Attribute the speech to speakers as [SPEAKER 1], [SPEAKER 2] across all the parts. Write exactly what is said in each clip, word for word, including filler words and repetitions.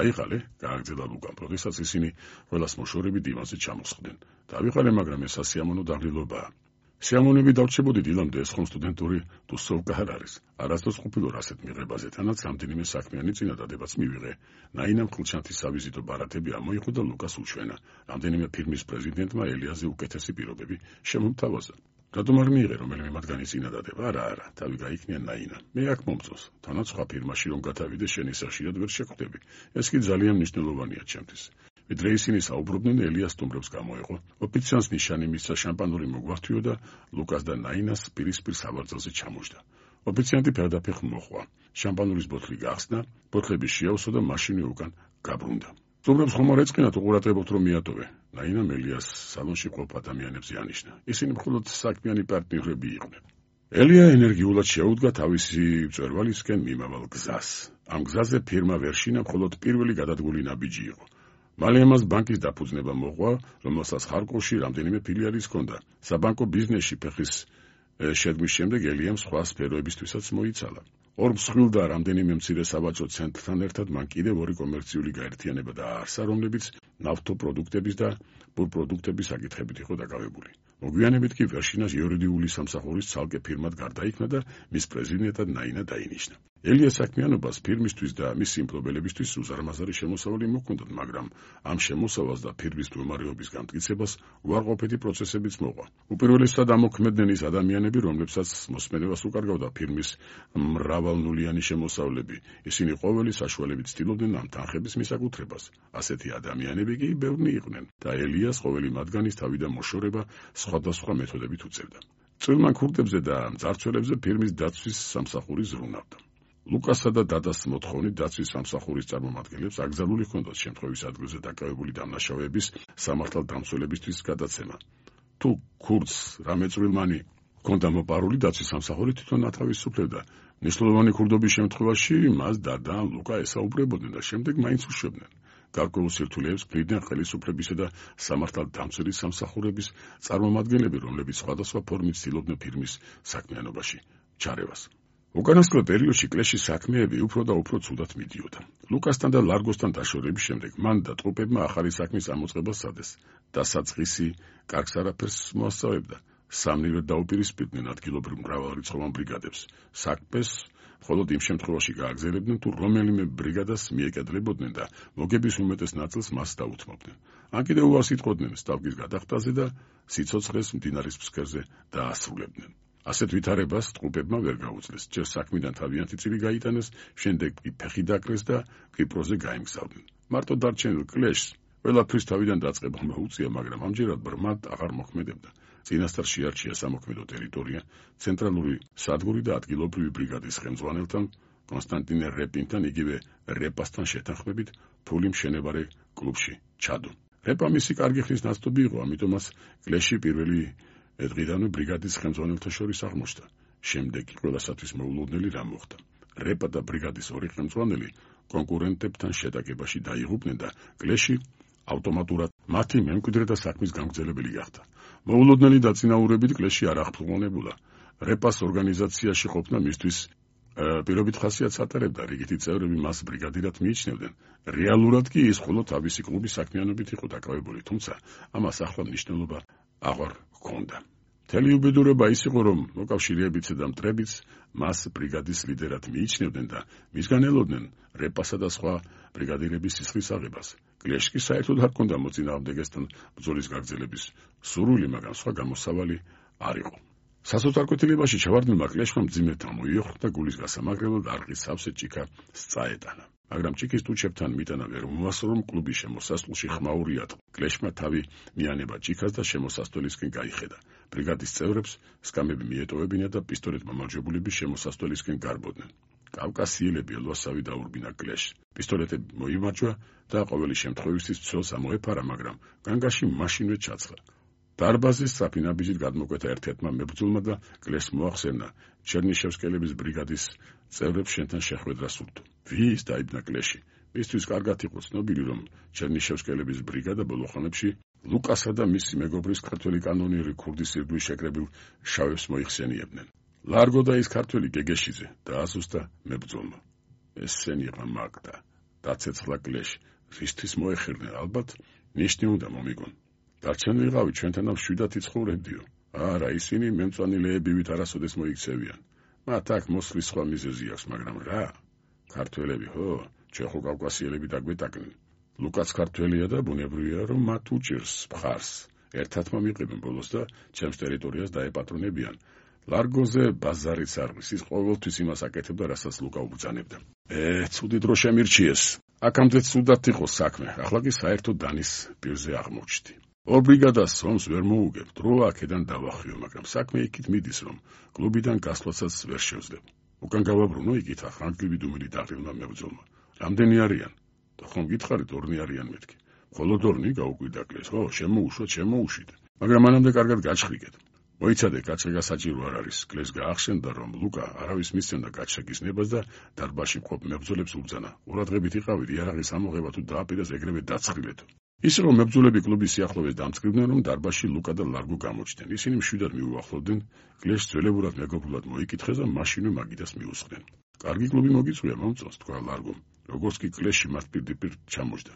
[SPEAKER 1] დაიღალე, გააგრძელა ლუკამ, როდესაც ისინი ყველას მოშორებით დივანზე ჩამოსხდნენ. დავიღალე, მაგრამ ეს სასიამოვნო დაღლილობაა. სიამოვნებით დავრჩებოდით დილამდე ეს ხომ სტუდენტური თუსოვკა არ არის. არასდროს ყოფილვარ ასეთ მიღებაზე, თანაც რამდენიმე საქმიანი წინადადებაც მივიღე. ნაინამ ხილჩანთის სავიზიტო ბარათები ამოიღო და ლუკას უჩვენა. რამდენიმე ფირმის პრეზიდენტმა ელიაზე უკეთესი პირობები შემომთავაზა. რატომ არ მიიღე რომელიმე მათგანი წინადადება? არა, არა, თავი გაიქნია ნაინა. მე აქ მომწონს, თანაც სხვა ფირმაში რომ გადავიდე, შენ ისე ხშირად ვერ შეხვდები. ეს კი ძალიან მნიშვნელოვანია ჩემთვის. ვიდრე ისინი საუბრობდნენ, ელია სტუმრებს გამოეყო. ოფიციანტს ნიშანი მისცა შამპანური მოგვართვიო და ლუკას და ნაინას პირისპირ სავარძელზე ჩამოჯდა. ოფიციანტი ფერდაფეხ მოხვა. შამპანურის ბოთლი გახსნა, ბოთლები შეავსო და მაშინვე უკან გაბრუნდა. სტუმრებს ხომ არ ეწყინათ უყურადღებოთ რომ მიატოვე. ნაინამ ელიას სალონში ყოფ ადამიანებს იანიშნა. ისინი მხოლოდ საქმიანი პარტნიორები იყვნენ. ელია ენერგიულად შეუდგა თავისი მწვერვალისკენ მიმავალ გზას. ამ გზაზე ფირმა ვერ შინა, მხოლოდ პირველი გადადგული ნაბიჯი იყო. მალე ამას ბანკის დაფუძნება მოყვა, რომელსაც ხარკოვში რამდენიმე ფილიალი ჰქონდა. საბანკო ბიზნესში ფეხის შედგმის შემდეგ ელიამ სხვა სფეროებისთვისაც მოიცალა. ორ მსხვილ და რამდენიმე მცირე სავაჭრო ცენტრთან ერთად მან კიდევ ორი კომერციული გაერთიანება დააარსა, რომლებიც ნავთობპროდუქტების და ბურპროდუქტების საკითხებით იყო დაკავებული. მოგვიანებით კი ვერშინას იურიდიული სამსახურის ცალკე ფირმად გარდაიქმნა და მის პრეზიდენტად ნაინა დაინიშნა. ელიას საქმიანობას ფირმისთვის და მის სიმფლობელებისთვის უზარმაზარი შემოსავალი მოჰქონდათ, მაგრამ ამ შემოსავალს და ფირმის მდგომარეობის განმტკიცებას უარყოფითი პროცესებიც მოყვა. უპირველესად ამოქმედნენ ის ადამიანები, რომლებსაც მოსმენებას უკარგავდა ფირმის მრავალნულიანი შემოსავლები. ისინი ყოველი საშუალებით ცდილობდნენ ამ თანხების მისაკუთრებას. ასეთი ადამიანები კი ბევრნი იყვნენ და ელიას ყოველი მათგანის თავი და მოშორება სხვადასხვა მეთოდებით უწევდა. წვრილმან ქურდებზე და მძარცველებზე ფირმის დაცვის სამსახური ზრუნავდა. ლუკასა და დადას მოთხოვნით დაცვის სამსახურის წარმომადგენლებს აკრძალული ჰქონდათ შემთხვევის ადგილზე დაკავებული დამნაშავეების სამართალდამცველებისთვის გადაცემა. თუ ქურდს რამე წვრილმანი ჰქონდა მოპარული, დაცვის სამსახური თვითონ ათავისუფლებდა. მნიშვნელოვანი ქურდობის შემთხვევაში მას დადა ან ლუკა ესაუბრებოდნენ და შემდეგ მაინც უშვებდნენ. გარკვეულ სირთულეებს ქმნიდნენ ხელისუფლებისა და სამართალდამცველის სამსახურების წარმომადგენლები, რომლებიც სხვადასხვა ფორმით ცდილობდნენ ფირმის საქმიანობაში ჩარევას. უკანასკნელ პერიოდში კლეშის საქმეები უფრო და უფრო ცუდად მიდიოდა. ლუკასთან და ლარგოსთან დაშორების შემდეგ მან და ტრუპებმა ახალი საქმის ამოწყებას სცადეს. დასაწყისი კარგს არაფერს მოასწავებდა. სამნივად დაუპირისპირდნენ ადგილობრივ მრავალრიცხოვან ბრიგადებს. საქმეს მხოლოდ იმ შემთხვევაში გააგრძელებდნენ, თუ რომელიმე ბრიგადას მიეკედლებოდნენ და მოგების უმეტეს ნაწილს მას დაუთმობდნენ. ან კიდევ უარს იტყოდნენ სტავკის გადახდაზე და სიცოცხლეს მდინარის ფსკერზე დაასრულებდნენ. ასეთ ვითარებას ტრუპებმა ვერ გაუძლეს. ჯერ საქმიდან თავიანთი წილი გაიტანეს, შემდეგ კი ფეხი დაკრეს და კვიპროსზე გაემგზავრნენ. მარტო დარჩენილ კლეშს ყველაფრის თავიდან დაწყება მოუწია, მაგრამ ამჯერად ბრმად აღარ მოქმედებდა. წინასწარ შეარჩია სამოქმედო ტერიტორია, ცენტრალური სადგური და ადგილობრივი ბრიგადის ხელმძღვანელთან კონსტანტინე რეპინთან, იგივე რეპასთან შეთანხმებით ფული მშენებარე კლუბში ჩადო. რეპა მისი კარგი ხნის ნაცნობი იყო, ამიტომაც კლეში პირველი დღიდანვე ბრიგადის ხელმძღვანელთა შორის აღმოჩნდა. შემდეგ კი ყველასათვის მოულოდნელი რამ მოხდა. რეპა და ბრიგადის ორი ხელმძღვანელი კონკურენტებთან შეტაკებაში დაიღუპნენ და კლეში ავტომატურად მათი მემკვიდრე და საქმის გამგზელებელი გახდა. მოულოდნელი დაწინაურებით კლეში არ აღფრთოვანებულა. რეპას ორგანიზაციაში ყოფნა მისთვის პირობით ხასიათს ატარებდა, რიგითი წევრები მას ბრიგადირად მიიჩნევდნენ. რეალურად კი ის მხოლოდ თავისი კლუბის საქმიანობით იყო დაკავებული, თუმცა ამას ახლა მნიშვნელობა აღარ ჰქონდა. მთელი უბედურება ის იყო, რომ მოკავშირეებიც და მტრებიც მას ბრიგადის ლიდერად მიიჩნევდნენ და მისგან ელოდნენ რეპასა და სხვა ბრიგადირების სისხლის აღებას. კლეშს კი საერთოდ არ ჰქონდა მოწინააღმდეგესთან ბრძოლის გაგრძელების სურვილი, მაგრამ სხვა გამოსავალი არ იყო. სასოწარკვეთილებაში ჩავარდნილმა კლეშმა მძიმე მოიოხა და გულის გასამაგრებლად არყის სავსე ჭიქა სწაეტანა. მაგრამ ჭიქის ტუჩებთან მიტანა ვერ მოასწრო, რომ კლუბის შემოსასვლელში ხმაური ატყო. კლეშმა თავი მიანება ჭიქას და შემოსასვლელისკენ გაიხედა. ბრიგადის წევრებს სკამები მიეტოვებინა და პისტოლეტ მომარჯვებულები შემოსასვლელისკენ გარბოდნენ. კავკასიელები ელვასავი დაურბინა კლეშს. პისტოლეტები მოიმარჯვა და ყოველი შემთხვევისთვის ცოლს ამოეფარა, მაგრამ განგაში მაშინვე ჩაცხლა. დარბაზის სწრაფი ნაბიჯით გადმოკვეთა ერთ-ერთმა მებრძოლმა და კლეშს მოახსენა, ჩერნიშევსკელების ბრიგადის წევრებს შენთან შეხვედრა სურთო. ვის დაიბნა კლეში? მისთვის კარგად იყო ცნობილი, რომ ჩერნიშევსკელების ბრიგადა ბოლო ხანებში ლუკასა და მისი მეგობრის ქართველი კანონიერი ქურდის ირგვლივ შეკრებილ შავებს მოიხსენიებდნენ. ლარგო და ის ქართველი გეგეშიძე დაასუსტა მებრძოლმა. ესენი იყო მაგდა. დაცეცხლა კლეში. რისთვის მოეხერნენ ალბათ ნიშნი უნდა მომიგონ. დარჩენილიყავი ჩვენთანავ შვიდად იცხოვრებდიო. არა, ისინი მემწვანილეებივით არასოდეს მოიქცევიან. მათ აქ მოსვლის სხვა მიზეზი აქვს, მაგრამ რა? ქართველები ხო? ჩვენ ხო კავკასიელები დაგვეტაკნენ. ლუკაც ქართველია და ბუნებრივია, რომ მათ უჭირს მხარს. ერთად მომიყებენ ბოლოს და ჩემს ტერიტორიას დაეპატრონებიან. ლარგოზე ბაზარიც არ ვის, ის ყოველთვის იმას აკეთებდა, რასაც ლუკა უბრძანებდა. ე, ცუდი დრო შემირჩიეს. აქამდე ცუდად იყო საქმე, ახლა კი საერთოდ დანის პირზე აღმოჩნდი. ორ ბრიგადას ომს ვერ მოუგებ, დრო აქედან დავახიო, მაგრამ საქმე იქით მიდის, რომ კლუბიდან გასვლაცაც ვერ შევძლებ. უკან გავაბრუნო იქით ახანგლივი დუმილი დაღლილმა მებრძოლმა. რამდენი არიან? და ხომ გითხარით ორნი არიან მეთქი. მხოლოდ ორნი გაუკვირდა კლეს, ხო, შემოუშვათ, შემოუშვით. მაგრამ მანამდე კარგად გაჩხრიგეთ. მოიცადე, გაჩრიგა საჭირო არ არის. კლეს გაახსენდა, რომ ლუკა არავის მისცემდა გაჩრიგის ნებას და დარბაზში მყოფ მებრძოლებს უბრძანა. ყურადღებით იყავით, იარაღის ამოღება თუ დააპირეს ეგრევე დაცხრილეთო. ისე რომ მებრძოლები კლუბის სიახლოვეს დამწკრივდნენ, რომ დარბაზში ლუკა და ლარგო გამოჩნდნენ. ისინი მშვიდად მიუახლოვდნენ, კლეს ძველებურად მეგობრულად მოიკითხეს და მაშინვე მაგიდას მიუსხდნენ. კარგი კლუბი მოგიწვია, მომწონს, თქვა ლარგომ. როგორც კი კლესში მათ პირდაპირ ჩამოჯდა.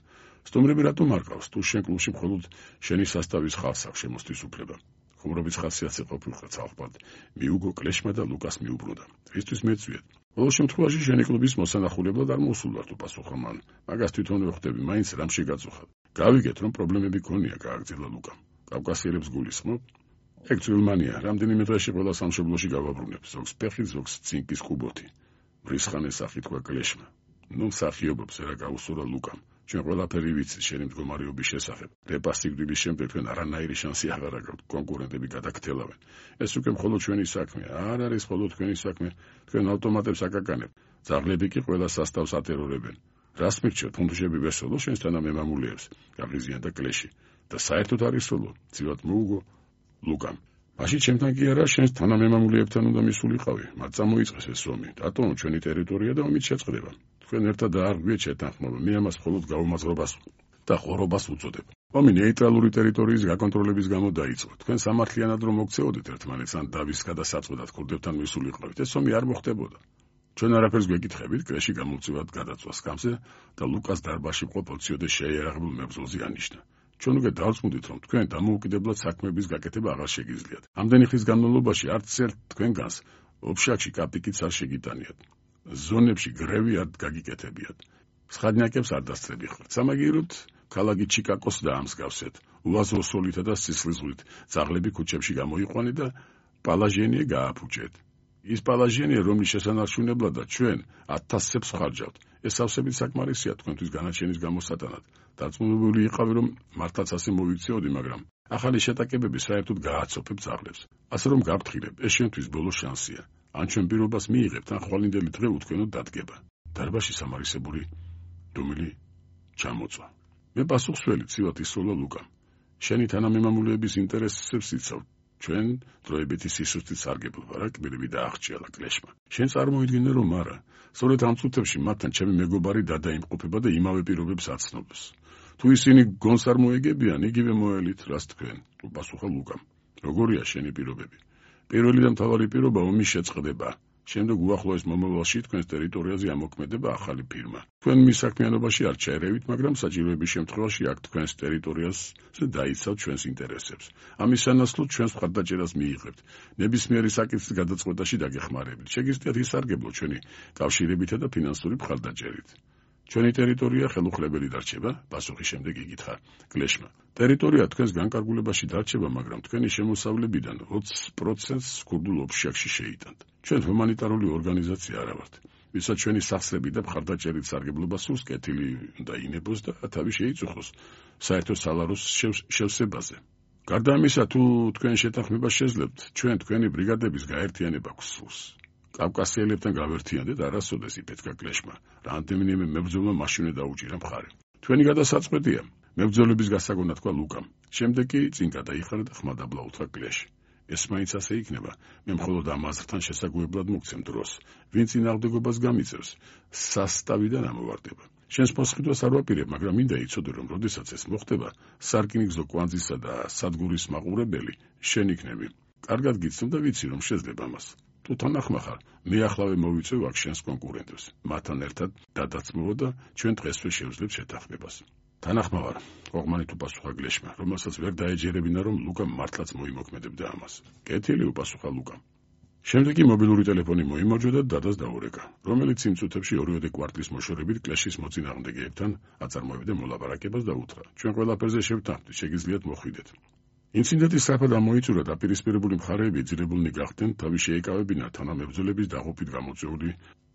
[SPEAKER 1] სტუმრები რატომ არ ყავს? თუ შენ კლუბში მხოლოდ შენი სასტავის ხალხს აქვს შემოსთვის უფლება. ხუმრობის ხასიათზე ყოფილიყო ცალკე. მიუგო კლეშმა და ლუკას მიუბრუნდა. რისთვის მეწვიეთ? ყოველ შემთხვევაში შენი კლუბის მოსანახულებლად არ მოსულვარ, თუ პასუხა მან. მაგას თვითონვე ხვდები, მაინც რამ შეგაწუხა. გავიგეთ, რომ პრობლემები გქონია, გააგრძელა ლუკამ. კავკასიელებს გულისხმობ? ეგ ძვირმანია, რამდენიმე დღეში ყველა სამშობლოში გავაბრუნებ, ზოგს ფეხი, ზოგს ცინკის კუბოთი. ვრისხანეს სახით თქვა კლეშმა. ნუ მსახიობებს რა გაუსურა ლუკამ. ჩვენ ყველაფერი ვიცით შენი მდგომარეობის შესახებ. რეპასტიგრილის შემდეგ თქვენ არანაირი შანსი აღარ აქვთ, კონკურენტები გადაგთელავენ. ეს უკვე მხოლოდ ჩვენი საქმეა, არ არის მხოლოდ თქვენი საქმე, თქვენ ავტომატებს აკაკანებთ. ძაღლები კი ყველა სასტავს ატერორებენ. რას მირჩევ, თუნდუშები ვერ სოლო შენს თანამემამულეებს, გაღიზიანდა კლეში. და საერთოდ არ ისოლო, ძილად მოუგო ლუკამ. მაშინ ჩემთან კი არა, შენს თანამემამულეებთან უნდა მისულიყავი, მათ წამოიწყეს ეს ომი. დატოვო ჩვენი ტერიტორია და ომით შეწყდება. თქვენ ერთად არ გვიეთ შეთანხმება, მე ამას მხოლოდ გაუმაზღრობას და ხორობას უწოდებ. ომი ნეიტრალური ტერიტორიის გაკონტროლების გამო დაიწყო. თქვენ სამართლიანად რომ მოგცეოდეთ ერთმანეთს ან დავის გადასაწყვეტად ქურდებთან მისულიყავით, ეს ომი არ მოხდებოდა. ჩვენ არაფერს გვეკითხებით, კლეში გამოვწევად გადაწვა სკამზე და ლუკას დარბაზში ყოფილ ციოდე შეიარაღებულ მებრძოლზე ანიშნა. ჩვენ უკვე დავწმუნდით, რომ თქვენ დამოუკიდებლად საქმეების გაკეთება აღარ შეგიძლიათ. ამდენი ხის განმავლობაში არც ერთ თქვენგანს ოფშაკში კაპიკიც არ შეგიტანიათ. ზონებში გრევი არ გაგიკეთებიათ. სხადნიაკებს არ დასწრები ხართ. სამაგიეროდ ქალაქი ჩიკაკოს დაამსგავსეთ. უაზრო სოლითა და სისხლისღვრით ძაღლები ქუჩებში გამოიყვანე და პალაჟენიე გააფუჭეთ. ის პალაჟენია, რომლის შესანარჩუნებლად და ჩვენ ათასებს ხარჯავთ. ეს სავსებით საკმარისია თქვენთვის განაჩენის გამოსატანად. დარწმუნებული იყავი, რომ მართლაც ასე მოვიქცეოდი, მაგრამ ახალი შეტაკებები საერთოდ გააცოფებ ძაღლებს. ასე რომ გაფრთხილებ, ეს შენთვის ბოლო შანსია. ან ჩვენ პირობას მიიღებთ, ან ხვალინდელი დღე უთქვენოდ დადგება. დარბაზში სამარისებური დუმილი ჩამოწვა. მე პასუხსველი ცივად ისოლა ლუკამ. შენი თანამემამულეების ინტერესებს იცავ. ჩვენ დროებითი სისუსტით სარგებლობ, რა კბილები დაახჭიალა კლეშმა. შენ წარმოიდგინე, რომ არა. სწორედ ამ წუთებში მათთან ჩემი მეგობარი დადაიმყოფება და იმავე პირობებს აცნობს. თუ ისინი გონს არ მოეგებიან, იგივე მოელით, რას თქვენ, უპასუხა ლუკამ. როგორია შენი პირობები? პირველი და მთავარი პირობა ომის შეწყდება. შემდეგ უახლოეს მომავალში თქვენს ტერიტორიაზე ამოქმედება ახალი ფირმა. თქვენ მის საქმიანობაში არ ჩაერევით, მაგრამ საჭიროების შემთხვევაში აქ თქვენს ტერიტორიაზე დაიცავთ ჩვენს ინტერესებს. ამის სანაცვლოდ ჩვენს მხარდაჭერას მიიღებთ. ნებისმიერი საკითხის გადაწყვეტაში დაგეხმარებით. შეგიძლიათ ისარგებლო ჩვენი კავშირებითა და ფინანსური მხარდაჭერით. ჩვენი ტერიტორია ხელუხლებელი დარჩება, პასუხის შემდეგ იგითხა კლეშმა. ტერიტორია თქვენს განკარგულებაში დარჩება, მაგრამ თქვენი შემოსავლებიდან ოცი პროცენტს ქურდულ ოფშაკში შეიტანთ. ჩვენ ჰუმანიტარული ორგანიზაცია არა ვართ. ვისაც ჩვენი სახსრები და მხარდაჭერით სარგებლობა სურს, კეთილი უნდა ინებოს და თავი შეიწუხოს საერთო სალაროს შევსებაზე. გარდა ამისა, თუ თქვენ შეთანხმება შეძლებთ, ჩვენ თქვენი ბრიგადების გაერთიანება გვსურს. კავკასიელებთან გავერთიანდეთ, არასოდეს იფეთქა კლეშმა. რამდენიმე მებრძოლმა მაშინვე დაუჭირა მხარი. თქვენი გადასაწყვეტია. მებრძოლების გასაგონად თქვა ლუკამ. შემდეგ კი წინ გადაიხარა და ხმადაბლა უთხრა კლეში. ეს მაინც ასე იქნება. მე მხოლოდ ამ აზრთან შესაგვებლად მოგცემ დროს. ვინ წინააღმდეგობას გამიწევს, სასტავიდან ამოვარდება. შენს მოსყიდვას არ ვაპირებ, მაგრამ მინდა იცოდე, რომ როდესაც ეს მოხდება, სარკინიგზო კვანძისა და სადგურის მაყურებელი შენ იქნები. კარგად გიცნობ და ვიცი, რომ შეძლებ ამას. თუ თანახმა ხარ, მე ახლავე მოვიწევ აქ შენს კონკურენტებს. მათთან ერთად დადაცმოვა და ჩვენ დღესვე შევძლებ შეთანხმებას. თანახმა ვარ, ყოღმანით უპასუხა გლეშმა, რომელსაც ვერ დაეჯერებინა, რომ ლუკა მართლაც მოიმოქმედებდა ამას. კეთილი, უპასუხა ლუკამ. შემდეგ კი მობილური ტელეფონი მოიმარჯვა და დადას დაურეკა, რომელიც იმ წუთებში ორივე კვარტლის მოშორებით კლეშის მოწინააღმდეგეებთან აწარმოებდა მოლაპარაკებას და უთხრა: ჩვენ ყველაფერზე შევთანხმდით, შეგიძლიათ მოხვიდეთ. ინციდენტი სწრაფად ამოიწურა და პირისპირებული მხარეები ძირებულნი გახდნენ თავის შეეკავებინათ თანამებრძოლების დაღუპვით გამოწვეული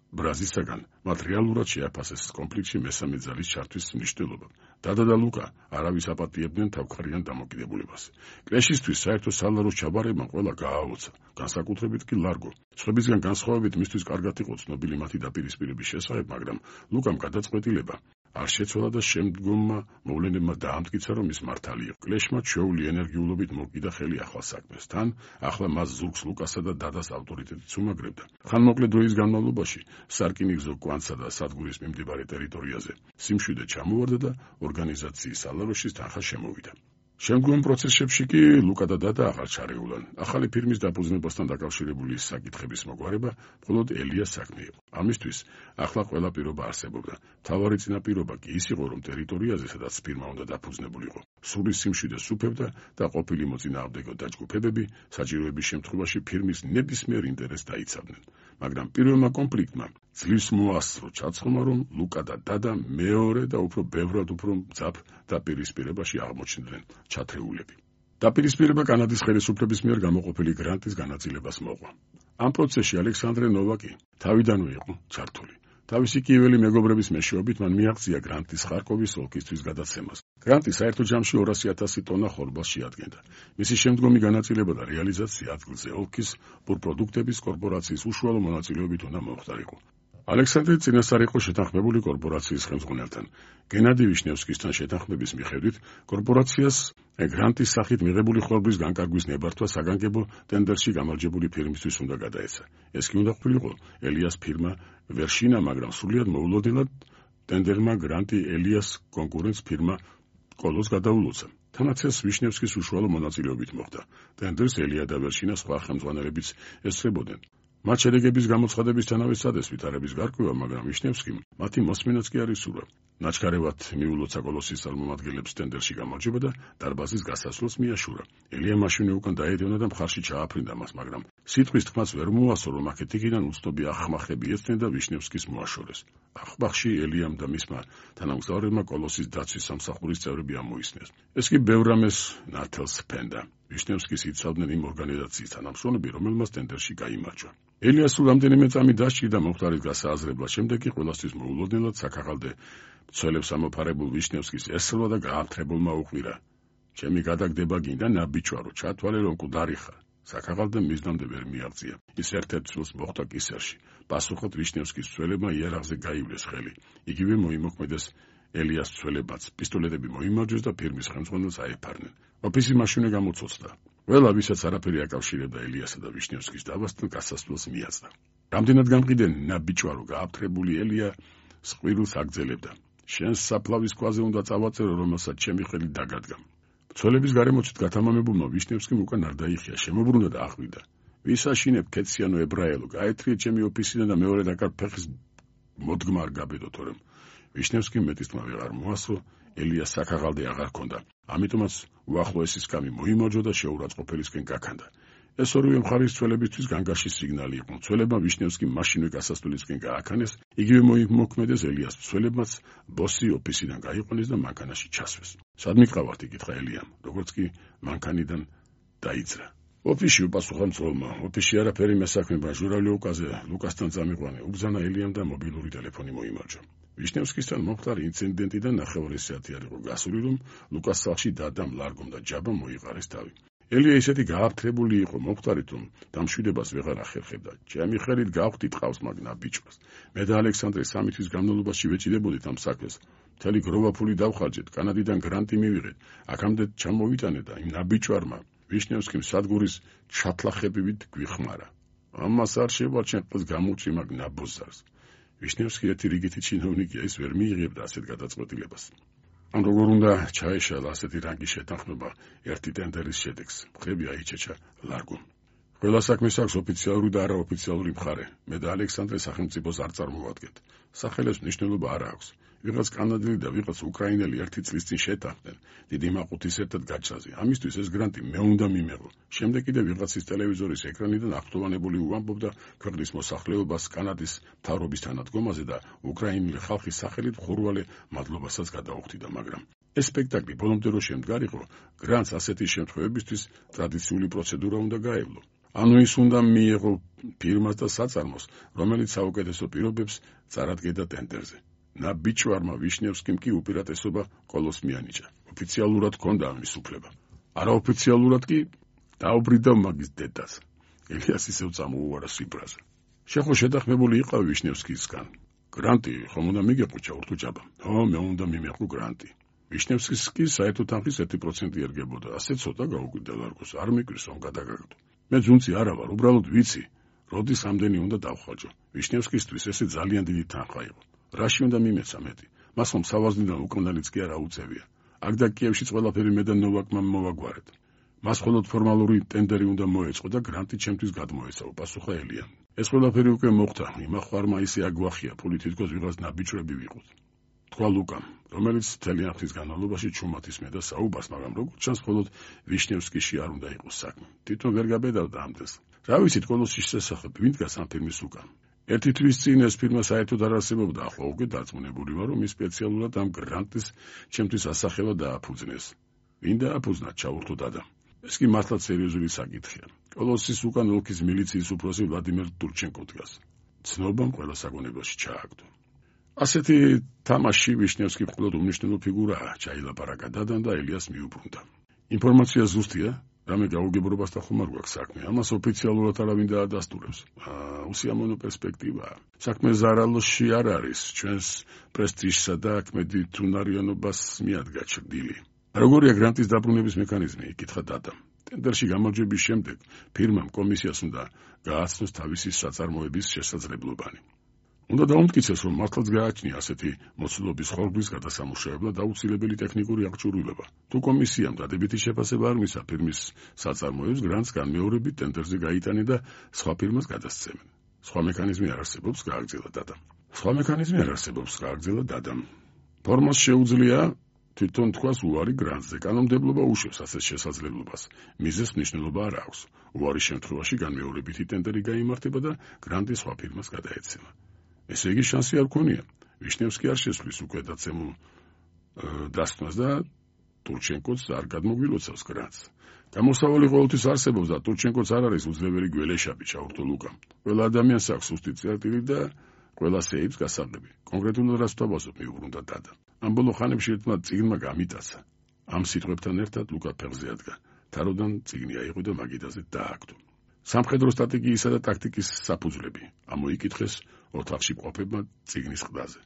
[SPEAKER 1] ბრაზისაგან, მათ რეალურად შეაფასეს კონფლიქტში მესამე ძალის ჩართვის მნიშვნელობა. დადა და ლუკა არავის აპატიებდნენ თავქარიან დამოკიდებულებას. კლეშისთვის საერთო სალაროს ჩაბარებამ ყველა გააოცა, განსაკუთრებით კი ლარგო. სხვებისგან განსხვავებით მისთვის კარგად იყო ცნობილი მათი დაპირისპირების შესახებ, მაგრამ ლუკამ გადაწყვეტილება არ შეცვალა და შემდგომმა მოვლენებმა დაამტკიცა, რომ ის მართალი იყო. კლეშმა ჩვეული ენერგიულობით მოკიდა ხელი ახალ საქმეს. თან ახლა მას ზურგს ლუკასა და დადას ავტორიტეტიც უმაგრებდა. ხანმოკლე დროის განმავლობაში სარკინიგზო კვანცსა და სადგურის მიმდებარე ტერიტორიაზე სიმშვიდე ჩამოვარდა და ორგანიზაციის სალაროშის თანხა შემოვიდა. შემდგომ პროცესებში კი ლუკა და დადა აღარ ჩარეულან. ახალი ფირმის დაფუძნებასთან დაკავშირებული საკითხების მოგვარება მხოლოდ ელიას საქმე იყო. ამისთვის ახლა ყველა პირობა არსებობდა. მთავარი წინაპირობა კი ის იყო, რომ ტერიტორიაზე, სადაც ფირმა უნდა დაფუძნებულიყო, სული სიმშვიდეს უფებდა და ყოფილი მოწინააღმდეგე დაჯგუფებები საჭიროების შემთხვევაში ფირმის ნებისმიერ ინტერესს დაიცავდნენ. მაგრამ პირველმა კონფლიქტმა ძლივს მოასწრო ჩაცხომა, რომ ლუკა და დადა მეორე და უფრო ბევრად უფრო მძაფ დაპირისპირებაში აღმოჩნდნენ ჩათრეულები. დაპირისპირება კანადის ხელისუფლების მიერ გამოყოფილი გრანტის განაწილებას მოყვა. ამ პროცესში ალექსანდრე ნოვაკი თავიდანვე იყო ჩართული. თავისი კიეველი მეგობრების მეშვეობით მან მიაღწია გრანტის ხარკოვის ოლქისთვის გადაცემას. გრანტი საერთო ჯამში ორასი ათასი ტონა ხორბალს შეადგენდა. მისი შემდგომი განაწილება და რეალიზაცია ადგილზე ოლქის ბურპროდუქტების კორპორაციის უშუალო მონაწილეობით უნდა მოხდარიყო. ალექსანდრე წინასწარ იყო შეთანხმებული კორპორაციის ხელმძღვანელთან. გენადი ვიშნევსკისთან შეთანხმების მიხედვით კორპორაციას გრანტის სახით მიღებული ხორბლის განკარგვის ნებართვა საგანგებო ტენდერში გამარჯვებული ფირმისთვის უნდა გადაეცა. ეს კი უნდა ყოფილიყო ელიას ფირმა ვერშინა, მაგრამ სრულიად მოულოდნელად ტენდერმა გრანტი ელიას კონკურენტს ფირმა კოლოს გადაულოცა. თანაც ეს ვიშნევსკის უშუალო მონაწილეობით მოხდა. ტენდერს ელია და ვერშინა სხვა ხელმძღვანელებიც ესწრებოდნენ. მათ შედეგების გამოცხადებისთანავე სცადეს ვითარების გარკვევა, მაგრამ ვიშნევსკიმ მათი მოსმენაც კი არ ისურვა. ნაჩქარევად მიულოცა კოლოსის წარმომადგენლებს ტენდერში გამარჯვება და დარბაზის გასასვლელს მიაშურა. ელია მაშინვე უკან დაედევნა და მხარში ჩააფრინდა მას, მაგრამ სიტყვის თქმაც ვერ მოასწრო, რომ აქეთ იქიდან უცნობი ახმახები ეცნენ და ვიშნევსკის მოაშორეს. ახმახში ელიამ და მისმა თანამგზავრებმა კოლოსის დაცვის სამსახურის წევრები ამოისნეს. ეს კი ბევრ რამეს ნათელს ფენდა. ვიშნევსკის იცავდნენ იმ ორგანიზაციის თანამშრომლები, რომელმაც ტენდერში გაიმარჯვა. ელიას სულ რამდენიმე წამი დასჭირდა მომხდარის გასააზრებლად, შემდეგ კი ყველასთვის მოულოდნელად საქაღალდე მცველებს ამოფარებულ ვიშნევსკის ესრვა და გაამთრებულმა უყვირა: ჩემი გადაგდება გინდა ნაბიჯვარო, ჩათვალე რომ კუდარი ხარ. საქაღალდემ მიზნამდე ვერ მიაღწია. ის ერთ-ერთ ცვილს მოხვდა კისერში. პასუხად ვიშნევსკის მცველებმა იარაღზე გაივლეს ხელი. იგივე მოიმოქმედეს ელიას მცველებმაც. პისტოლეტები მოიმარჯვეს და ფირმის ხელმძღვანელს აეფარნენ. ოფისი მაშინვე გამოცოცხლდა. ყველა, ვისაც არაფერი აკავშირებდა ელიასა და ვიშნევსკის დავასთან, გასასვლელს მიაწდა. რამდენად გამყიდე ნაბიჯვარო გააფთრებული ელია სყვირილს აგძელებდა. შენს საფლავის ქვაზე უნდა წავაწერო, რომელსაც ჩემი ხელი დაგადგა. მცველების გარემოცით გათამამებულმა ვიშნევსკიმ უკან არ დაიხია, შემოbrunდა და აღვიდა: ვისაშინებ ქეციანო ებრაელო, გაეთრიე ჩემი ოფისიდან და მეორე დაკარ ფეხის მოდგმა არ გაბედო, თორემ ვიშნევსკიმ მეტისმა ვეღარ მოასწრო, ელიას საქაღალდე აღარ ჰქონდა. ამიტომაც უახლოესი სკამი მოიმარჯვა და შეურაცხყოფელისკენ გაქანდა. ეს ორივე მხარის მცველებისთვის განგაშის სიგნალი იყო. მცველებმა ვიშნევსკიმ მაშინვე გასასვლელისკენ გააქანეს, იგივე მოიმოქმედეს ელიას მცველებმაც ბოსი ოფისიდან გაიყვანეს და მანქანაში ჩასვეს. სად მიყავართ, იკითხა ელიამ, როგორც კი მანქანიდან დაიძრა. ოფისში, უპასუხა მცველმა. ოფისში არაფერი მესაქმება, ჟურავლიოვკაზე ლუკასთან წამიყვანე. უბრძანა ელიამ და მობილური ტელეფონი მოიმარჯვა. ვიშნევსკისთან მომხდარი ინციდენტიდან ნახევარი საათი არ იყო გასული, რომ ლუკას სახლში დადამ, ლარგომ და ჯაბამ მოიყარეს თავი. ელია ისეთი გააფთრებული იყო მომხდარით, რომ დამშვიდებას ვეღარ ახერხებდა. ჩემი ხელით გავხდი ტყავს მაგ ნაბიჯვას. მე და ალექსანდრე სამი თვის განმავლობაში ვეჭიდებოდით ამ საქმეს. მთელი გროვა ფული დავხარჯეთ, კანადიდან გრანტი მივიღეთ. აქამდე ჩამოვიტანე და იმ ნაბიჯვარმა ვიშნევსკიმ სადგურის ჩათლახებივით გვიხმარა. ამას არ შევარჩენ ყოს გამოუწვი მაგ ნაბოზარს. ვიშნევსკი ერთი რიგითი ჩინოვნიკია, ის ვერ მიიღებდა ასეთ გადაწყვეტილებას. ან როგორ უნდა ჩაეშალა ასეთი რანგის შეთანხმება ერთი ტენდერის შედეგს. ხები აიჩეჩა ლარგომ. ყველა საქმეს აქვს ოფიციალური და არაოფიციალური მხარე. მე და ალექსანდრე სახელმწიფოს არ წარმოვადგენთ. სახელებს მნიშვნელობა არ აქვს. ვიღაც კანადელი და ვიღაც უკრაინელი ერთი წლის წინ შეთანხმდნენ დიდი მაყუთის ერთად გაჩრაზე. ამისთვის ეს გრანტი მე უნდა მიმეღო. შემდეგ კიდე ვიღაცის ტელევიზორის ეკრანიდან აღფრთოვანებული უამბობდა ქვეყნის მოსახლეობას კანადის მთავრობის თანადგომაზე და უკრაინელი ხალხის სახელით ხურვალე მადლობასაც გადაუხდიდა, მაგრამ ეს სპექტაკლი ბოლომდე რო შემდგარიყო, გრანტს ასეთი შემთხვევებისთვის ტრადიციული პროცედურა უნდა გაევლო. ანუ ის უნდა მიიღო ფირმას და საწარმოს, რომელიც საუკეთესო პირობებს წარადგენდა ტენდერზე. ნაბიჯვარმა ვიშნევსკიმ კი უპირატესობა ყოლოს მიანიჭა. ოფიციალურად ჰქონდა ამის უფლება. არაოფიციალურად კი დაუბრიდა მაგის დედას. ელიას ისევ წამოუვარა სიბრაზე. შეხო შეთანხმებული იყავ ვიშნევსკისგან. გრანტი ხომ უნდა მიგეყო ჩაურთუჭაბა. ხო, მე უნდა მიმეყო გრანტი. ვიშნევსკის კი საერთო თანხის ერთი პროცენტი ერგებოდა. ასე ცოტა გაუკვირდა ლარგოს. არ მიკვირს რომ გადაგაგდო. მე ძუნცი არა ვარ, უბრალოდ ვიცი, როდის ამდენი უნდა დავხვალჯო. ვიშნევსკისთვის ესე ძალიან დიდი თანხა იყო. რაში უნდა მიმეცა მეტი? მას ხომ სავაზნიდან უკმდანიც კი არ აუწევია. აქ და კიევშიც ყველაფერი მე და ნოვაკმა მოვაგვარეთ. მას მხოლოდ ფორმალური ტენდერი უნდა მოეწყო და გრანტი ჩემთვის გადმოეცაო, პასუხა ელიანი. ეს ყველაფერი უკვე მოხდა, იმახვარმა ისე აგვახია, ფული თითქოს ვიღაც ნაბიჯვრები ვიყოთ. თქვა ლუკამ, რომელიც ძალიან ხნის განმავლობაში ჩუმად ისმენდა საუბარს, მაგრამ როგორც ჩანს, მხოლოდ ვიშნევსკიში არ უნდა იყოს საქმე. თვითონ ვერ გაბედავდა ამდენს. რა ვიცით კოლოსის შესახებ, ვინ დგას ამ ფილმის უკან? ერთი თვის წინ ეს ფილმი საერთოდ არ არსებობდა, ახლა უკვე დარწმუნებული ვარ, რომ ის სპეციალურად ამ გრანტის ჩემთვის ასახელა დააფუძნეს. ვინ დააფუძნა, ჩაურთო დადამ. ეს კი მართლაც სერიოზული საკითხია. კოლოსის უკან ოლქის მილიციის უფროსი ვლადიმერ ტურჩენკო დგას. ცნობამ ყველა საგონებაში ჩააგდო. ასეთი თამაში ვიშნევსკი მხოლოდ უმნიშვნელო ფიგურაა, ჩაილაპარაკა დადამ და ელიას მიუბრუნდა. ინფორმაცია ზუსტია, რამე გაუგებრობასთან ხომ არ გვაქვს საქმე, ამას ოფიციალურად არავინ დაადასტურებს. უსიამოვნო პერსპექტივაა. საქმე ზარალოში არ არის, ჩვენს პრესტიჟსა და ქმედით უნარიანობას მიადგა ჩრდილი. როგორია გრანტის დაბრუნების მექანიზმი? იკითხა დადამ. ტენდერში გამარჯვების შემდეგ ფირმამ კომისიას უნდა გააცნოს თავისი საწარმოების შესაძლებლობანი. უნდა დაუმტკიცეს, რომ მართლაც გააჩნია ასეთი მოცულობის ხორბლის გადასამუშავებლად აუცილებელი ტექნიკური აღჭურვილობა. თუ კომისიამ დადებითი შეფასება არ მისცა ფირმის საწარმოებს, გრანტს განმეორებით ტენდერზე გაიტანენ და სხვა ფირმას გადასცემენ. სხვა მექანიზმი არ არსებობს, გააგრძელა დადამ. სხვა მექანიზმი არ არსებობს, გააგრძელა დადამ. ფორმას შეუძლია თვითონ თქვას უარი გრანტზე. კანონმდებლობა უშვებს ასეთ შესაძლებლობას. მიზეზს მნიშვნელობა არ აქვს. უარის შემთხვევაში განმეორებითი ტენდერი გაიმართება და გრანტი სხვა ფირმას გადაეცემა. ესე იგი შანსი არ ქონია. ვიშნევსკი არ შესვლის უკვე დაცემულ დასკვნას და ტურჩენკოც არ გადმოგვილოცავს გრანტს. გამოსავალი ყოველთვის არსებობს და ტურჩენკოც არ არის უძლეველი გველეშაპი, ჩაურთო ლუკამ. ყველა ადამიანს აქვს სუსტი წერტილი და ყველა სეიფს გასაღები. კონკრეტულად რას ვთავაზობ, მიუბრუნდა დადა. ამ ბოლო ხანებში ერთმა წიგნმა გამიტაცა. ამ სიტყვებთან ერთად ლუკა ფეხზე ადგა. თაროდან წიგნი აიღო და მაგიდაზე დააგდო. სამხედრო სტრატეგიისა და ტაქტიკის საფუძვლები. ამოიკითხეს ოთახში მყოფებმა წიგნის ყდაზე.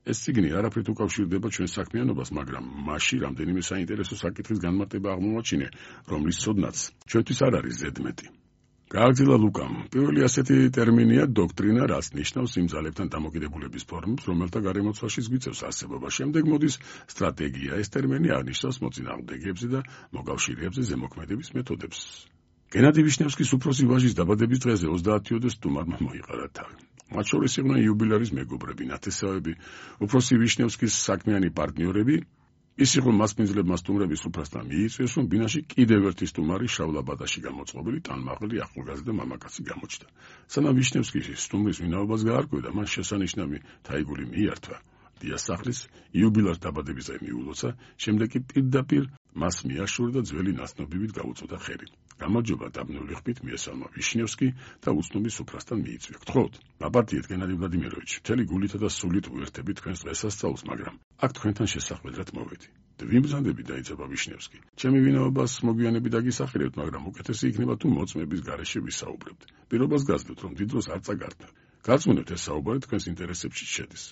[SPEAKER 1] ეს წიგნი არაფრით უკავშირდება ჩვენ საქმიანობას, მაგრამ მასში რამდენიმე საინტერესო საკითხის განმარტება აღმოაჩინე, რომლის ცოდნაც ჩვენთვის არ არის ზედმეტი. გააგრძელა ლუკამ. პირველი ასეთი ტერმინია დოქტრინა, რაც ნიშნავს იმ ძალებთან დამოკიდებულების ფორმებს, რომელთა გარემოცვაშიც გვიწევს არსებობა. შემდეგ მოდის სტრატეგია. ეს ტერმინი აღნიშნავს მოწინააღმდეგეებზე და მოკავშირეებზე ზემოქმედების მეთოდებს. გენადი ვიშნევსკის უფროსი ვაჟის დაბადების დღეზე ოცდაათიოდე სტუმარმა მოიყარა თავი. მათ შორის იყვნენ იუბილერის მეგობრები, ნათესავები, უფროსი ვიშნევსკის საქმიანი პარტნიორები. ის იყო მასპინძლებმა სტუმრების უფროსთან მიიწვიეს, რომ ბინაში კიდევ ერთი სტუმარი შავლაბადაში გამოწყობილი ტანმაღალი ახალგაზრდა მამაკაცი გამოჩნდა. სანამ ვიშნევსკი სტუმრის ვინაობას გაარკვევდა, მან შესანიშნავი თაიგული მიართვა. დიასახლის იუბილერის დაბადების დღე მიულოცა, შემდეგ კი პირდაპირ მას მიაშურა და ძველი ნაცნობივით გაუწოდა ხელი. გამარჯობა დაბნეული ხმით მიესალმა ვიშნევსკი და უცნობი სუფრასთან მიიწვია. გთხოვთ, აბატიეთ გენადი ვლადიმიროვიჩ, მთელი გულითა და სულით უერთები თქვენს დღესასწაულს, მაგრამ აქ თქვენთან შესახვედრად მოვედი. ვიმბრძანდები, დაიწყება ვიშნევსკი. ჩემი ვინაობას მოგვიანებით დაგისახელებთ, მაგრამ უკეთესი იქნება თუ მოწმების გარეშე ვისაუბრებთ. პირობას გაძლევთ, რომ დიდ დროს არ წაგარდნათ. გაწმუნდეთ, ეს საუბარი თქვენს ინტერესებში შედის.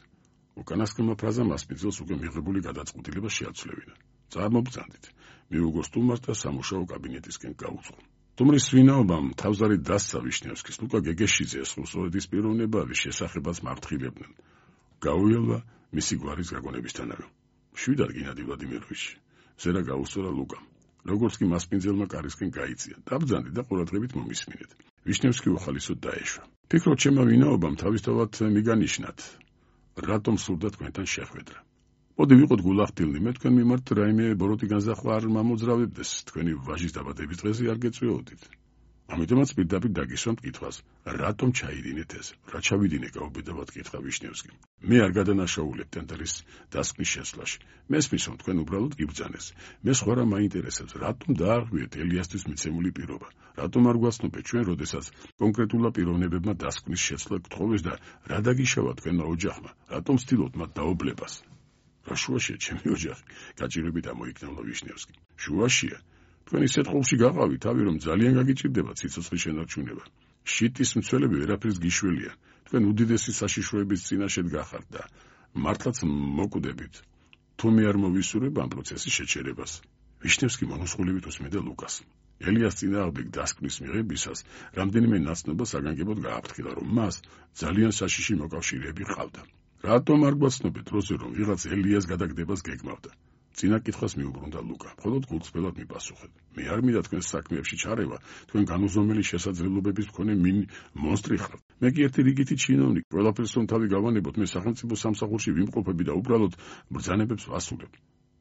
[SPEAKER 1] უკანასკნელმა ფრაზამ მასპინძელს უკვე მიღებული გადაწყვეტილება შეაცვლევინა. წარმობრძანდით. მიუგო სტუმარს და სამუშაო კაბინეტისკენ გაუძღო. სტუმრის ვინაობამ თავზარი დასცა ვიშნევსკის. ლუკა გეგეშიძეს რუსოეთის პიროვნებების შესახებაც მართხილებდნენ. გაუელვა მისი გვარის გაგონებისთანავე. შვიდად გენადი ვლადიმიროვიჩი. ზერა გაუსწორა ლუკამ. როგორც კი მასპინძელმა კარისკენ გაიწია. დაბრძანდი და ყურადღებით მომისმინეთ. ვიშნევსკი უხალისოდ დაეშვა. ფიქრობ, ჩემმა ვინაობამ თავისთავად მიგანიშნათ, რატომ სურდა თქვენთან შეხვედრა. მოდი ვიყოთ გულახდილნი, მე თქვენ მიმართ რაიმე ბოროტი განზრახვა არ მომოძრავებდეს, თქვენი ვაჟის დაბადების დღეზე არ გეწვეოდით. ამიტომაც პირდაპირ დაგისვამთ კითხვას, რატომ ჩაიდინეთ ეს? რა ჩავიდინე გაუბედავად კითხა ვიშნევსკი. მე არ გადანაშაულებ ტენდერის დასკვნის შეცვლაში. მესმის, რომ თქვენ უბრალოდ გიბრძანეს. მე სხვა რა მაინტერესებს, რატომ დაარღვიეთ ელიასთვის მიცემული პირობა? რატომ არ გვაცნობეთ ჩვენ, როდესაც კონკრეტულა პიროვნებებმა დასკვნის შეცვლა გთხოვეს და რა დაგიშავა თქვენმა ოჯახმა? რატომ ცდილობთ მათ დაობლებას? რა შუაშია ჩემი ოჯახი? გაჭირვებით ამოიქნევლა ვიშნევსკი. შუაშია. თქვენ ისეთ ყოლში გაყავით, თავი რომ ძალიან გაგიჭირდება ციცოცხლის შენარჩუნება. შიტის მცველები ვერაფერს გიშველიან. თქვენ უდიდესი საშიშროების წინაშედ გახართ და მართლაც მოკვდებით. თუ მე არ მოვისურვებ ამ პროცესის შეჩერებას. ვიშნევსკი მონოსხულებით უსმენდა ლუკას. ელიას წინააღმდეგ დასკვნის მიღებისას რამდენიმე ნაცნობა საგანგებოდ გააფრთხილა, რომ მას ძალიან საშიში მოკავშირეები ჰყავდა. რატომ არ გვაცნობეთ როზე რომ ვიღაც ელიას გადაგდებას გეგმავდა? წინა კითხვას მიუბრუნდა ლუკა. მხოლოდ გულწრფელად მიპასუხეთ. მე არ მინდა თქვენს საქმეებში ჩარევა, თქვენ განუზომელი შესაძლებლობების მქონე მონსტრი ხართ. მე კი ერთი რიგითი ჩინოვნიკი, ყველაფერს რომ თავი გავანებოთ, მე სახელმწიფო სამსახურში ვიმყოფები და უბრალოდ ბრძანებებს ვასრულებ.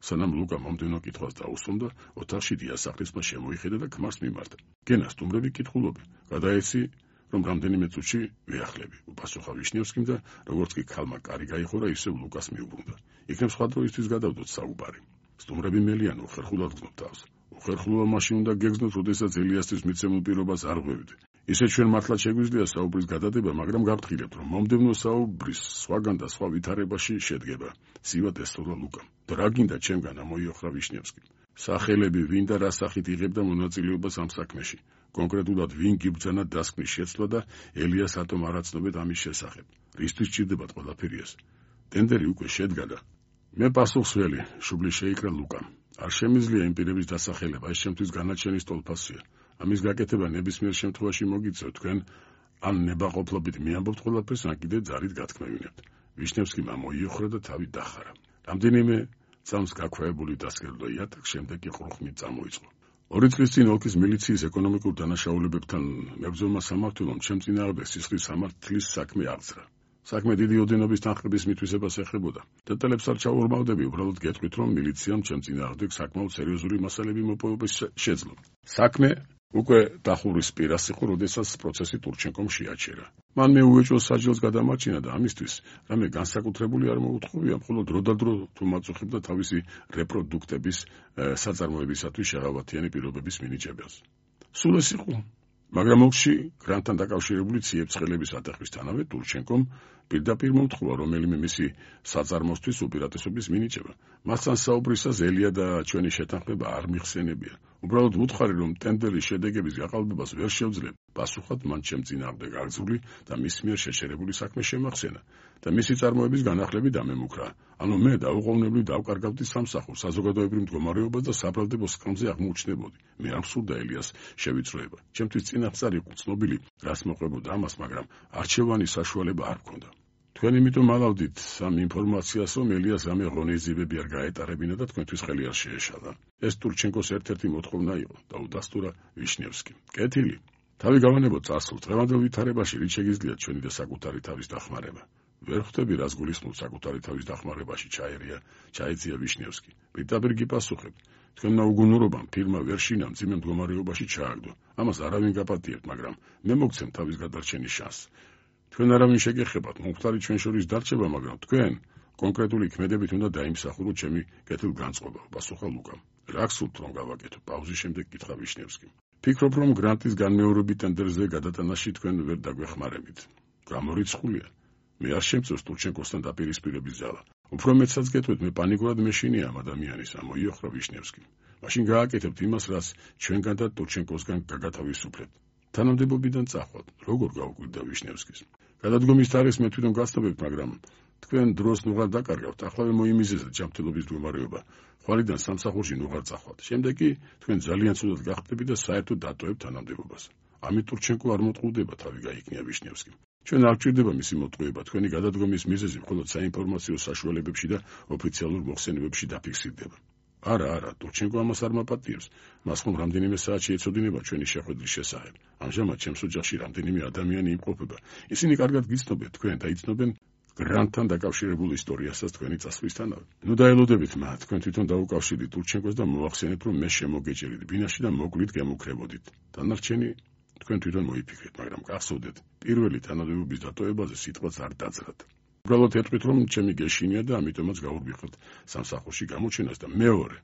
[SPEAKER 1] სანამ ლუკა მომდევნო კითხვას დაუსვამდა, ოთახში დიასახლისმა შემოიხედა და ქმარს მიმართა. გენა სტუმრები კითხულობენ. გადაეცი რომ რამდენიმე წუთში ვეახლები. უპასუხა ვიშნევსკიმ და როგორც კი ქალმა კარი გაიხურა, ისევ ლუკას მიუბრუნდა. იქნებ სხვა დროისთვის გადავდოთ საუბარი. სტუმრები მელიან უხერხულად გრძნობ თავს. უხერხულობა მაშინ უნდა გეგრძნოთ, როდესაც ელიასთვის მიცემულ პირობას არ ღვევით. ისე ჩვენ მართლაც შეგვიძლია საუბრის გადადება, მაგრამ გავფრთხილებთ, რომ მომდევნო საუბრის სხვაგან და სხვა ვითარებაში შედგება. სივად ესწორა ლუკამ. რა გინდა ჩემგან? ამოიოხრა ვიშნევსკი. სახელები, ვინ და რა სახით იღებდა მონაწილეობას ამ საქმეში. კონკრეტულად ვინ გიბრძანა დასკვნის შეცვლა და ელიას რატომ არ აცნობეთ ამის შესახებ? რისთვის ჭირდებათ ყველაფერი ეს? ტენდერი უკვე შედგა და მე პასუხს ველი, შუბლი შეიკრა ლუკამ. არ შემიძლია იმ პირების დასახელება, ეს შემთთვის განაჩენის ტოლფასია. ამის გაკეთება ნებისმიერ შემთხვევაში მოგიწევთ, თქვენ ან ნებაყოფლობით მიამბობთ ყველაფერს, ან კიდე ძალით გათქმევინებთ. ვიშნევსკიმ ამოიოხრა და თავი დახარა. რამდენიმე წამს გაქვეებული დასკერდო იატაკს, შემდეგ კი ყრუხმით წამოიწყო. ორი წლის წინ ოლქის მილიციის ეკონომიკურ დანაშაულებებთან მებრძოლმა სამმართველომ ჩემ წინააღმდეგ სისხლის სამართლის საქმე აღძრა. საქმე დიდი ოდენობის თანხების მითვისებას ეხებოდა. დეტალებს არ ჩაურმავდები, უბრალოდ გეტყვით, რომ მილიციამ ჩემ წინააღმდეგ საკმაოდ სერიოზული მასალები მოპოვების შეძლო. საქმე უკვე დახურის პირას იყო, როდესაც პროცესი ტურჩენკომ შეაჩერა. მან მეუეჭო საჯელს გადამარჩინა და ამისთვის რამე განსაკუთრებული არ მოუთხოვია, მხოლოდ დროდადრო თუ მაწუხებდა თავისი რეპროდუქტების საწარმოებისათვის შეღავათიანი პირობების მინიჭებას. სულ ეს იყო. მაგრამ ოლქში გრანტთან დაკავშირებული ციებ-ცხელების ატეხვისთანავე ტურჩენკომ პირდაპირ მომთხოვა რომელიმე მისი საწარმოსთვის უპირატესობის მინიჭება. მასთან საუბრისას ელია და ჩვენი შეთანხმება არ მიხსენებია. უბრალოდ ვუთხარი, რომ ტენდერის შედეგების გაყალბებას ვერ შევძლებ. პასუხად მან ჩემ წინააღმდეგ აღძრული და მის მიერ შეჩერებული საქმე შემახსენა და მისი წარმოების განახლები დამემუქრა. ანუ მე დაუყოვნებლივ დავკარგავდი სამსახურს, საზოგადოებრივ მდგომარეობას და საბრალდებო სკამზე აღმოუჩნდებოდი. მე არ მსურდა ელიას შევიწროება. ჩემთვის წინასწარ იყო ცნობილი, რას მოყვებოდა ამას, მაგრამ არჩევანის საშუალება არ მქონდა. თქვენ იმიტომ ალავდით ამ ინფორმაციას, რომ ელიას რამე ღონისძიებები არ გაეტარებინა და თქვენთვის ხელი არ შეეშალა. ეს ტურჩენკოს ერთ-ერთი მოთხოვნა იყო და უდასტურა ვიშნევსკიმ. კეთილი. თავი გავანებოთ წასულ დღევანდელ ვითარებაში, რით შეგიძლიათ ჩვენი და საკუთარი თავის დახმარება. ვერ ხვდები, რას გულისხმობთ საკუთარი თავის დახმარებაში, ჩაერია, ჩაეცია ვიშნევსკი. პირდაპირ გიპასუხებთ. თქვენმა უგუნურობამ ფირმა ვერ შინა მძიმე მდგომარეობაში ჩააგდო. ამას არავინ გაპატიებთ, მაგრამ მე მოგცემ თავის გადარჩენის შანსს. თქვენ არავინ შეგეხებათ, მომხდარი ჩვენ შორის დარჩება, მაგრამ თქვენ კონკრეტული ქმედებით უნდა დაიმსახუროთ ჩემი კეთილგანწყობა, პასუხა ლუკამ. რა გსურთ რომ გავაკეთო? პაუზის შემდეგ კითხა ვიშნევსკიმ. ფიქრობ, რომ გრანტის განმეორებით ტენდერზე გადატანაში თქვენ ვერ დაგვეხმარებით. გამორიცხულია. მე არ შემწევს ტურჩენკოსთან დაპირისპირების ძალა. უფრო მეტსაც გეტყვით, მე პანიკურად მეშინია ამ ადამიანის, ამოიოხრა ვიშნევსკიმ. მაშინ გააკეთებთ იმას, რაც ჩვენგან და ტურჩენკოსგან გაგათავისუფლებთ. თანამდებობიდან წახვალთ. როგორ გაუკვირდა ვიშნევსკის? გადადგომის თარიღს მე თვითონ გასწობებთ, მაგრამ თქვენ დროს ნუღარ დაკარგავთ, ახლავე მოიმიზეზეთ ჯანმრთელობის მდგომარეობა. ხვალიდან სამსახურში ნუღარ წახვალთ. შემდეგ კი თქვენ ძალიან ცუდად გახტები და საერთოდ დატოვებთ თანამდებობას. ამით ტურჩენკო არ მოტყუდება, თავი გაიქნია ვიშნევსკიმ. ჩვენ არ გვჭირდება მისი მოტყუება, თქვენი გადადგომის მიზეზი მხოლოდ საინფორმაციო საშუალებებში და ოფიციალურ მოხსენებებში დაფიქსირდება. არა, არა, ტურჩენკო ამას არ მაპატიებს. მას ხომ რამდენიმე საათში ეცოდინება ჩვენი შეხვედრის შესახებ. ამჟამად ჩემს ოჯახში რამდენიმე ადამიანი იმყოფება. ისინი კარგად გიცნობენ თქვენ და იცნობენ გრანტთან დაკავშირებულ ისტორიასაც თქვენი წასვლისთანავე. ნუ დაელოდებით მათ, თქვენ თვითონ დაუკავშირდით ტურჩენკოს და მოახსენეთ, რომ მე შემოგეჭერით ბინაში და მოკლით გემუქრებოდით. დანარჩენი თქვენ თვითონ მოიფიქრეთ, მაგრამ გახსოვდეთ, პირველი თანამდებობის დატოვებაზე სიტყვაც არ დაძრათ. უბრალოდ ეტყვით, რომ ჩემი გეშინია და ამიტომაც გაურბიხოთ სამსახურში გამოჩენას და მეორე